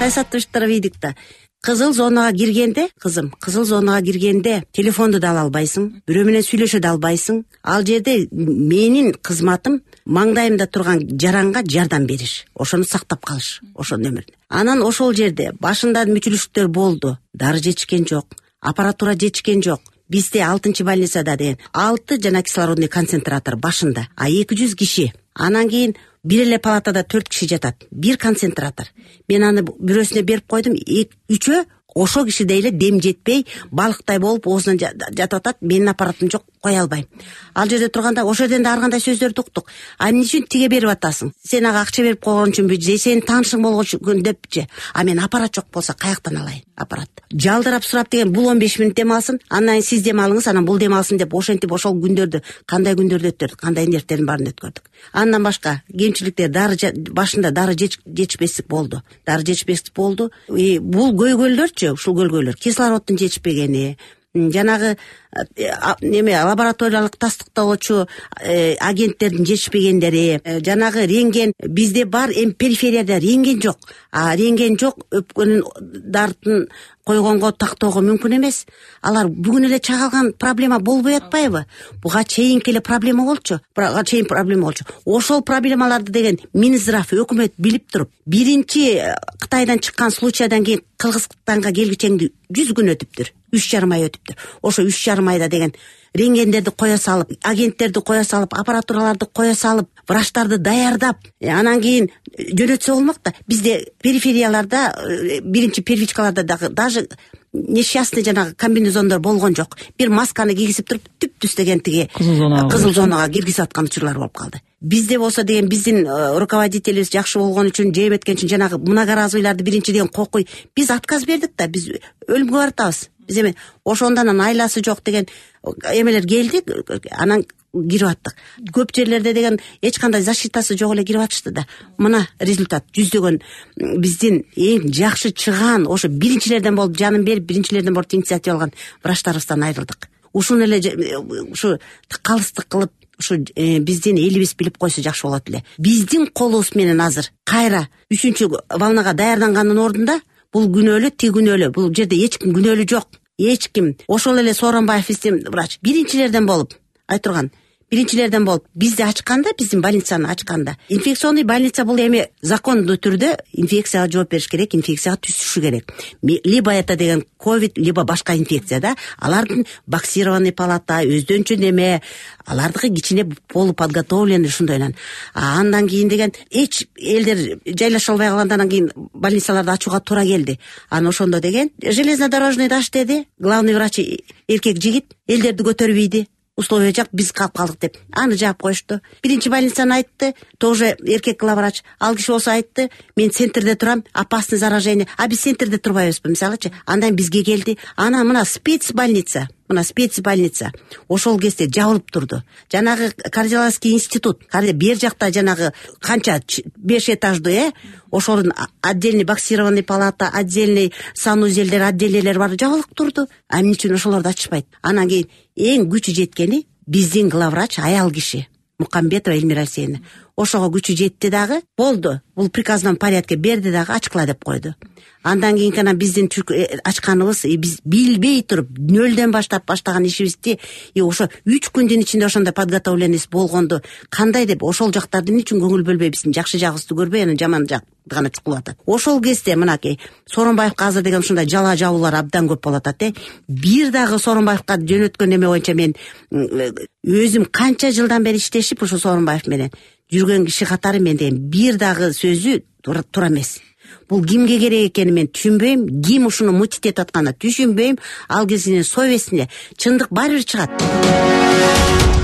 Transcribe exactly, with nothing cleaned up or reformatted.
саясаттуу иштер ийдик да. Кызыл зонага киргенде, кызым, кызыл зонага киргенде телефонду да ала албайсың, бирөө менен сүйлөшө да албайсың. Ал жерде менин кызматым маңдайымда турган жаранга жардам бериш, ошону сактап калыш, ошо нөмүр. Анан ошол жерде башында мүчүлүштөр болду. Дары жетишкен жок, аппаратура жетишкен жок. Бизде алтынчы больницада деген алты жана кислородный концентратор башында, а эки жүз киши. Анан кийин бир эле палатада төрт киши жатат. Бир концентратор. Мен аны бирөөсүнө берип койдум. Үчөө ошо кишиде эле дем жетпей, балыктай болуп оозунан жатып атат. Менин аппаратым жок, кое албайм. Ал жерде турганда ошол жерден да ар кандай сөздөрдү уктук. А эмне үчүн тиге берип атасың? Сен ага акча берип койгон үчүнбү же сенин таанышың болгон үчүн депчи? А мен аппарат жок болсо каяктан алайын аппарат? Жалдырап сурап деген бул он беш мүнөт дем алсын, андан сиз дем алыңыз, анан бул дем алсын деп ошентип ошол күндөрдү кандай күндөрдү өткөрдүк, кандай нервтердин баарын өткөрдүк. Андан башка кемчиликтер, дары башында дары жетишпестик болду. Дары жетишпестик болду. Бул көйгөйлөрчү, ушул көйгөйлөр кислороддун жетишпегени, жанагы неме лабораториялык тастыктоочу агенттердин жетишпегендери, жанагы рентген бизде бар, эми периферияда рентген жок. А рентген жок, өпкөнүн дартын койгонго тактоого мүмкүн эмес. Алар бүгүн эле чагылган проблема болбой атпайбы? Буга чейинки эле проблема болчу. Буга чейин проблема болчу. Ошол проблемаларды деген Минздрав өкмөт билип туруп, биринчи Кытайдан чыккан случайдан кийин Кыргызстанга келгичеңди жүз күн өтүптүр. үч жарым ай өтүптүр. Ошо үч жарым айда деген рентгендерди коя салып, агенттерди коя салып, аппаратураларды коя салып, врачтарды даярдап, анан кийин жөнөтсө болмок да. Бизде периферияларда, биринчи первичкаларда дагы даже несчастный жанагы комбинезондор болгон жок. Бир масканы кийгизип туруп түп-түз деген тиги кызыл зонага киргизип аткан учурлар болуп калды. Бизде болсо деген биздин руководителибиз жакшы болгон үчүн, жеп эткен үчүн жанагы многоразовыйларды биринчи деген кокуй биз отказ бердик да, биз өлүмгө баратабыз. Биз эми ошондон айласы жок деген эмелер келди, анан кирип аттык. Көп жерлерде деген эч кандай защитасы жок эле кирип атышты да. Мына результат жүздөгөн биздин эң жакшы чыган, ошо биринчилерден болуп жанын берип, биринчилерден болуп инициатива алган врачтарыбыздан айрылдык. Ушуну эле ушу калыстык кылып, ушу биздин элибиз билип койсо жакшы болот эле. Биздин колубуз менен азыр кайра үчүнчү волнага даярданганын ордунда бул күнөөлүү, тиги күнөөлүү. Бул жерде эч ким күнөөлүү жок. Эч ким. Ошол эле Сооронбаев биздин врач биринчилерден болуп айтырган. Биринчилерден болуп бизди ачканда, биздин больницаны ачканда. Инфекционный больница бул эми закондуу түрдө инфекцияга жооп бериш керек, инфекцияга түзүшү керек. Либо это деген ковид, либо башка инфекция да. Алардын боксированный палата, өздөнчө неме, алардыкы кичине полуподготовленный ушундойнан. А андан кийин деген эч элдер жайлаша албай калгандан кийин больницаларды ачууга туура келди. Анан ошондо деген железнодорожный даш деди, главный врач эркек жигит, элдерди көтөрбөйдү. Условия жак, биз калып калдык деп. Аны жаап коюшту. Биринчи больницаны айтты, тоже эркек главврач. Ал киши болсо айтты, мен центрде турам, опасный заражение. А биз центрде турбайбызбы, мисалычы. Андан бизге келди. Ана мына спец больница. Мына спец больница. Ошол кезде жабылып турду. Жанагы кардиологический институт, бер жакта жанагы канча беш этаждуу, э? Ошолдун отдельный боксированный палата, отдельный санузелдер, отделелер бар, жабылып турду. А эмне үчүн ошолорду ачышпайт? Анан кийин эң күчү жеткени биздин главврач аял киши Мукамбетова Эльмира Алексеевна. Ошого күчү жетти дагы, болду. Бул приказном порядке берди дагы, ачкыла деп койду. Андан кийин гана биздин ачканыбыз, биз билбей туруп нөлдөн баштап баштаган ишибизди, и ошо үч күндүн ичинде ошондой подготовленность болгонду кандай деп ошол жактарды эмне үчүн көңүл бөлбөй, биздин жакшы жагыбызды көрбөй, анан жаман жак гана чукулуп атат. Ошол кезде мынакей Сооронбаевка азыр деген ушундай жала жабуулар абдан көп болуп атат, э. Бир дагы Сооронбаевка жөнөткөн эме боюнча мен өзүм канча жылдан бери иштешип ушу Сооронбаев менен жүргөн киши катары мен деген бир дагы сөзү туура эмес. Бул кимге керек экенин мен түшүнбөйм, ким ушуну мутит этип атканын түшүнбөйм. Ал кишинин совестине чындык баары бир чыгат.